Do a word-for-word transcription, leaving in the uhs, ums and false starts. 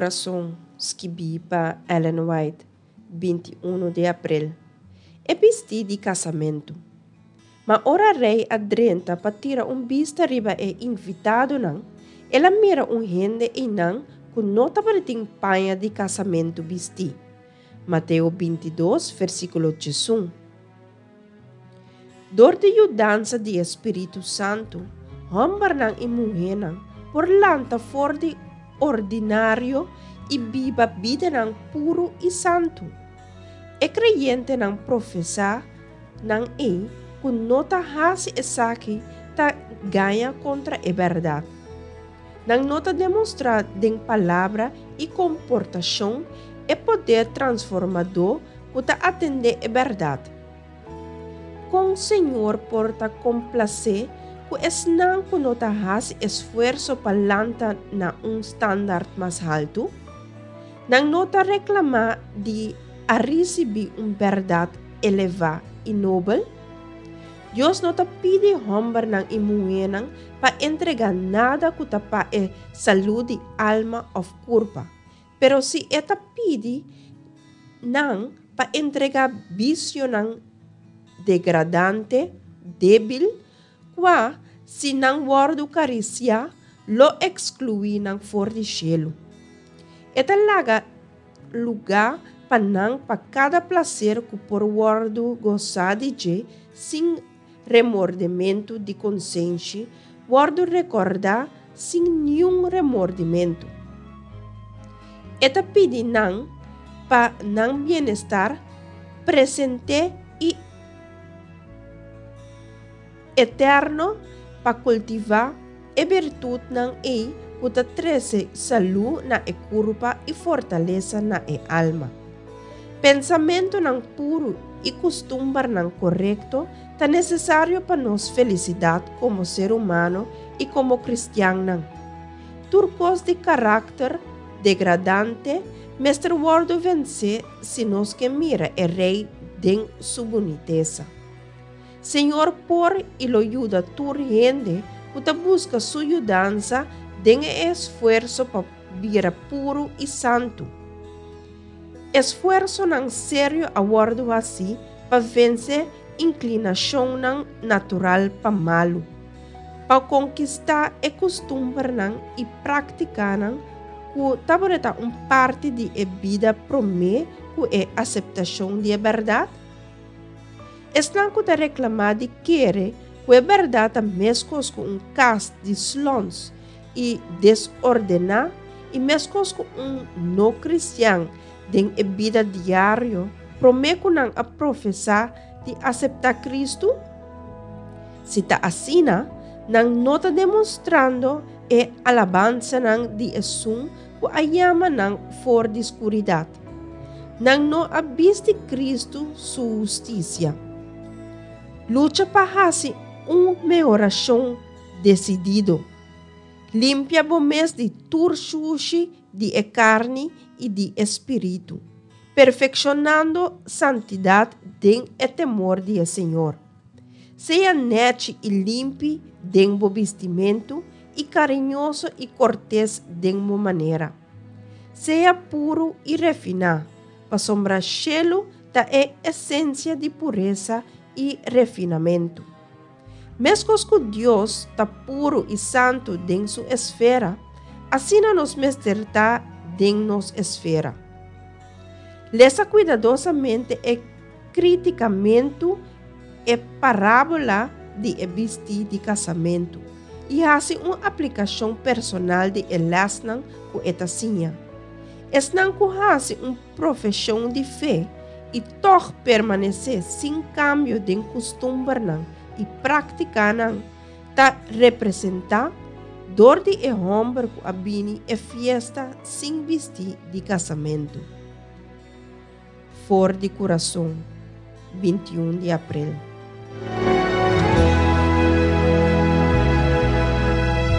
Kurason, skibí pa Ellen White, binti unu di aprel. E bistí di kasamentu. Ma ora rei a drenta pa tira un bista riba e invitadonan, el a mira un hende einan ku no tabatin paña di kasamentu bistí. Mateo binti dos, versíkulo diesun. Dor di yudansa di e Spiritu Santu, hòmbernan i muhénan por lanta for di ordinario i biba bidanan puru i santu. E kreyentenan profesá nan ei ku no ta hasi esaki ta gaña kontra e bèrdat. Nan no ta demostrá den palabra i komportashon e poder transformadó ku ta atendé e bèrdat. Kon Señor por ta komplasé ku esnan ku no ta hasi esfuerso pa lanta na un standaard mas haltu? Nan no ta reklamá di a risibí un bèrdat elevá i nobel? Dios no ta pidi hòmbernan i muhénan pa entregá nada ku ta pa e salú di alma òf kurpa, pero si e ta pidi nan pa entregá bisionan degradante, débil, kua, si nan wòrdu karisiá, lo ekskluí nan for di shelu. E ta laga lugá pa nan pa kada plaser ku por wòrdu gosá di dje sin remordimentu di konsenshi, wòrdu rekordá sin niun remordimentu. E ta pidi nan pa nan bienestar presente i eterno pa kultivá e birtutnan ei ku ta trese salú na e kurpa i fortalesa na e alma. Pensamentunan puru i kustumbernan korekto ta nesesario pa nos felisidat komo ser humano i komo kristiannan. Tur kos di karakter degradante mester wòrdu vensé si nos ke mira e Rei den su bunitesa. Señor por i lo yuda tur hende ku ta buska su yudansa den e esfuerso pa bira puru i santu. Esfuersonan serio a wòrdu hasí pa vense inklinashonnan natural pa malu, pa konkistá e kustumbernan i práktikanan ku tabata un parti di e bida promé ku e aseptashon di e bèrdat. Esnan ku ta reklamá di kere ku e bèrdat ta meskos ku un kas di slòns i desordená i meskos ku un no kristian den e bida diario promé ku nan a profesá di aseptá Kristu? Si ta asina, nan no ta demostrando e alabansanan di esun ku a yama nan for di skuridat. Nan no a bisti Kristu su hustisia. Lucha pa hasi un mehorashon desidido. Limpia bo mes di tur shushi di e karni i di e spiritu, perfekshonando santidat den e temor di e Señor. Sea nèchi i limpi den bo bistimentu i kariñoso i kortes den bo manera. Sea puru i refiná, pasobra shelu ta e esensia di puresa i refinamentu. Meskos ku Dios ta puru i santu den su esfera, asina nos mester ta den nos esfera. Lesa kuidadosamente e kritikamentu e parábola di e bistí di kasamentu i hasi un aplikashon personal di e lèsnan ku e ta siña. Esnan ku hasi un profeshon di fe i tòg permanesé sin kambio den kustumbernan i práktikanan ta representá dor di e hòmber ku a bini e fiesta sin bistí di kasamentu. For di Kurason, binti un di aprel.